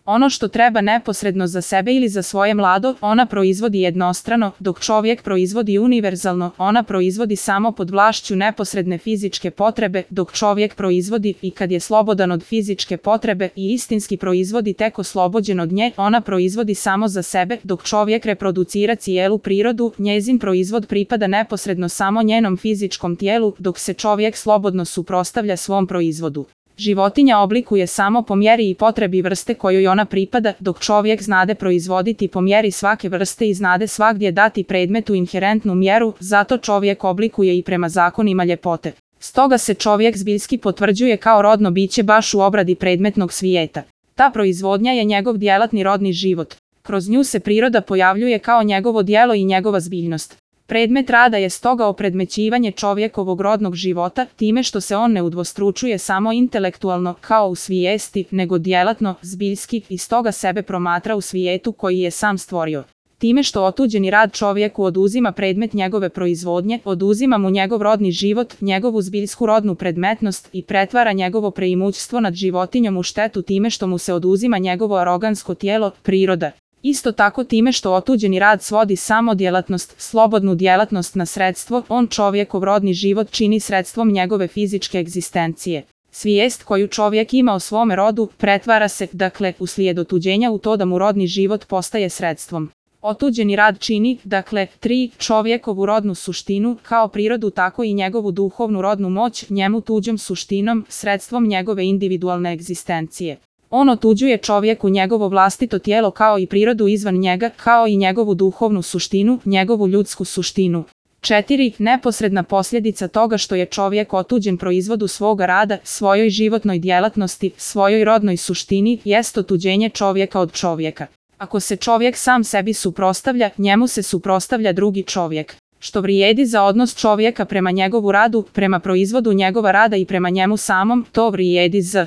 Ono što treba neposredno za sebe ili za svoje mlado, ona proizvodi jednostrano, dok čovjek proizvodi univerzalno, ona proizvodi samo pod vlašću neposredne fizičke potrebe, dok čovjek proizvodi i kad je slobodan od fizičke potrebe i istinski proizvodi tek oslobođen od nje, ona proizvodi samo za sebe, dok čovjek reproducira cijelu prirodu, njezin proizvod pripada neposredno samo njenom fizičkom tijelu, dok se čovjek slobodno suprotstavlja svom proizvodu. Životinja oblikuje samo po mjeri i potrebi vrste kojoj ona pripada, dok čovjek znade proizvoditi po mjeri svake vrste i znade svagdje dati predmetu inherentnu mjeru, zato čovjek oblikuje i prema zakonima ljepote. Stoga se čovjek zbiljski potvrđuje kao rodno biće baš u obradi predmetnog svijeta. Ta proizvodnja je njegov djelatni rodni život. Kroz nju se priroda pojavljuje kao njegovo djelo i njegova zbiljnost. Predmet rada je stoga opredmećivanje čovjekovog rodnog života, time što se on ne udvostručuje samo intelektualno, kao u svijesti, nego djelatno, zbiljski, i stoga sebe promatra u svijetu koji je sam stvorio. Time što otuđeni rad čovjeku oduzima predmet njegove proizvodnje, oduzima mu njegov rodni život, njegovu zbiljsku rodnu predmetnost i pretvara njegovo preimućstvo nad životinjom u štetu time što mu se oduzima njegovo arogansko tijelo, priroda. Isto tako time što otuđeni rad svodi samo djelatnost, slobodnu djelatnost na sredstvo, on čovjekov rodni život čini sredstvom njegove fizičke egzistencije. Svijest koju čovjek ima o svome rodu pretvara se, dakle, uslijed otuđenja u to da mu rodni život postaje sredstvom. Otuđeni rad čini, dakle, 3. čovjekovu rodnu suštinu, kao prirodu tako i njegovu duhovnu rodnu moć, njemu tuđom suštinom, sredstvom njegove individualne egzistencije. On otuđuje čovjeku njegovo vlastito tijelo kao i prirodu izvan njega, kao i njegovu duhovnu suštinu, njegovu ljudsku suštinu. 4. Neposredna posljedica toga što je čovjek otuđen proizvodu svoga rada, svojoj životnoj djelatnosti, svojoj rodnoj suštini, jest otuđenje čovjeka od čovjeka. Ako se čovjek sam sebi suprotstavlja, njemu se suprotstavlja drugi čovjek. Što vrijedi za odnos čovjeka prema njegovu radu, prema proizvodu njegova rada i prema njemu samom, to vrijedi za